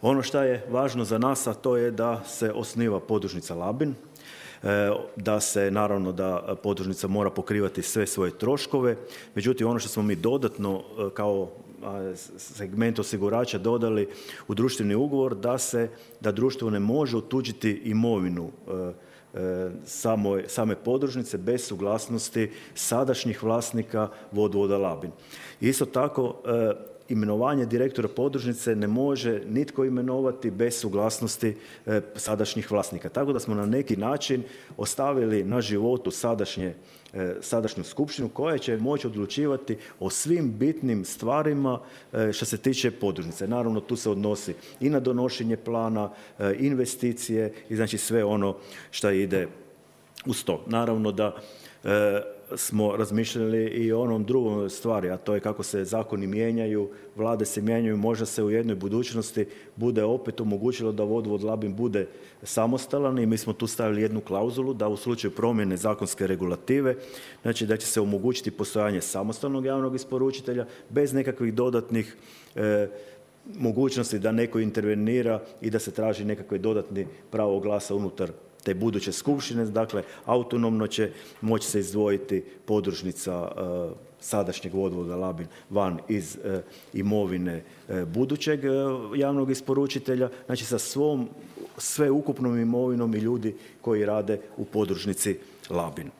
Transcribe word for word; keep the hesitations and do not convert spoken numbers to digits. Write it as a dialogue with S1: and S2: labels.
S1: Ono što je važno za nas, a to je da se osniva podružnica Labin, da se naravno da podružnica mora pokrivati sve svoje troškove. Međutim, ono što smo mi dodatno kao segment osigurača dodali u društveni ugovor, da se da društvo ne može otuđiti imovinu Same, same podružnice bez suglasnosti sadašnjih vlasnika Vodovoda Labin. Isto tako, imenovanje direktora podružnice ne može nitko imenovati bez suglasnosti sadašnjih vlasnika. Tako da smo na neki način ostavili na životu sadašnje, sadašnju skupštinu koja će moći odlučivati o svim bitnim stvarima što se tiče podružnice. Naravno, tu se odnosi i na donošenje plana, investicije i znači sve ono što ide uz to. Naravno da smo razmišljali i o onom drugom stvari, a to je kako se zakoni mijenjaju, vlade se mijenjaju, možda se u jednoj budućnosti bude opet omogućilo da Vodovod Labin bude samostalan i mi smo tu stavili jednu klauzulu da u slučaju promjene zakonske regulative, znači da će se omogućiti postojanje samostalnog javnog isporučitelja bez nekakvih dodatnih e, mogućnosti da neko intervenira i da se traži nekakve dodatni pravo glasa unutar te buduće skupštine. Dakle, autonomno će moći se izdvojiti podružnica e, sadašnjeg Vodovoda Labin van iz e, imovine e, budućeg e, javnog isporučitelja, znači sa svom sveukupnom imovinom i ljudi koji rade u podružnici Labin.